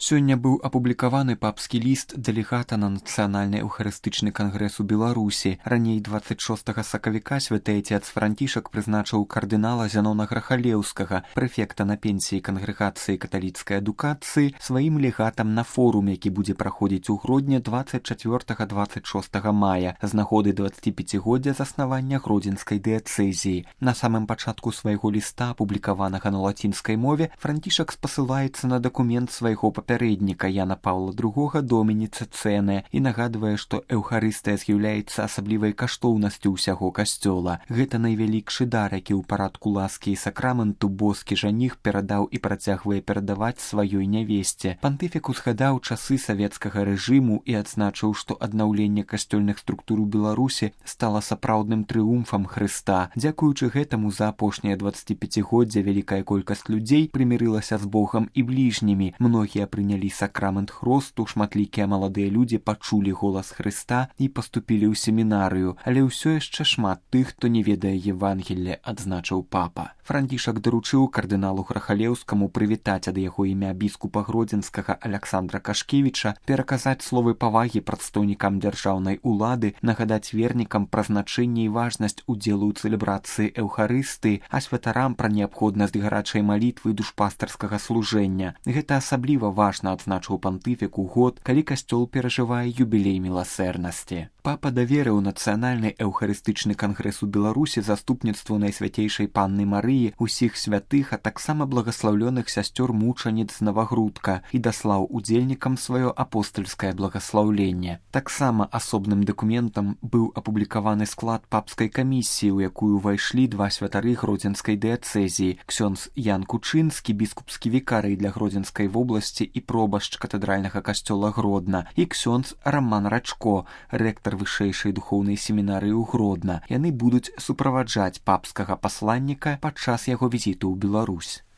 Сёння быў апублікаваны папскі ліст дэлегата на нацыянальны эўхарыстычны кангрэс у Беларусі. Раней 26 сакавіка святы айцец Францішак прызначыў кардынала Зянона Грахалеўскага, прэфекта на пенсіі кангрэгацыі каталіцкай адукацыі, сваім легатам на форум, які будзе праходзіць у грудні 24-26 мая з нагоды 25годдзя заснавання гродзенскай дыяцэзіі. На самым пачатку свайго ліста, апублікаванага на лацінскай мове, Францішак спасылаецца на дакумент свайго папярэдніка Яна Паўла II Доміні Цэцэнэ і нагадвае, што эўхарыстыя з'яўляецца асаблівай каштоўнасцю ўсяго касцёла. Гэта найвялікшы дар, які ў парадку ласкі і сакраменту боскі жаніх перадаў і працягвае перадаваць сваёй нявесце. Пантыфік узгадаў часы савецкага рэжыму і адзначыў, што аднаўленне касцёльных структур у Беларусі стала сапраўдным трыумфам Хрыста. Дзякуючы гэтаму за апошняе 25годдзя вялікая колькасць людзей прымірылася з Богам і бліжнімі. Многія прынялі сакрамент хросту, шматлікія маладыя людзі пачулі голас Хрыста і паступілі ў семінарыю, але ўсё яшчэ шмат тых, хто не ведае Евангелле, адзначыў папа. Францішак даручыў кардыналу Грахалеўскаму прывітаць ад яго імя біскупа гродзенскага Аляксандра Кашкевіча, пераказаць словы павагі прадстаўнікам дзяржаўнай улады, нагадаць вернікам пра значэнне і важнасць удзелу ў цэлебрацыі эўхарысты, а святарам пра неабходнасць гарачай малітвы і душпастарскага служэння. Гэта асабліва важна, адзначыў пантыфік у год, калі касцёл перажывае юбілей міласэрнасці. Папа даверыў нацыянальны эўхарыстычны кангрэс у Беларусі заступніцтву Найсвяцейшай Панны Марыі, усіх святых, а таксама благаслаўлёных сясцёр мучаніц з Навагрудка і даслаў удзельнікам сваё апостальскае благаслаўленне. Таксама асобным дакументам быў апублікаваны склад папскай камісіі, у якую ўвайшлі два святары гродзенскай дыяцэзіі: ксёндз Ян Кучынскі, біскупскі вікарый для Гродзенскай вобласці і пробашч катэдральнага касцёла Гродна, і ксёндз Раман Рачко, рэктар вышэйшай духоўнай семінарыі ў Гродна. Яны будуць суправаджаць папскага пасланніка падчас яго візіту ў Беларусь.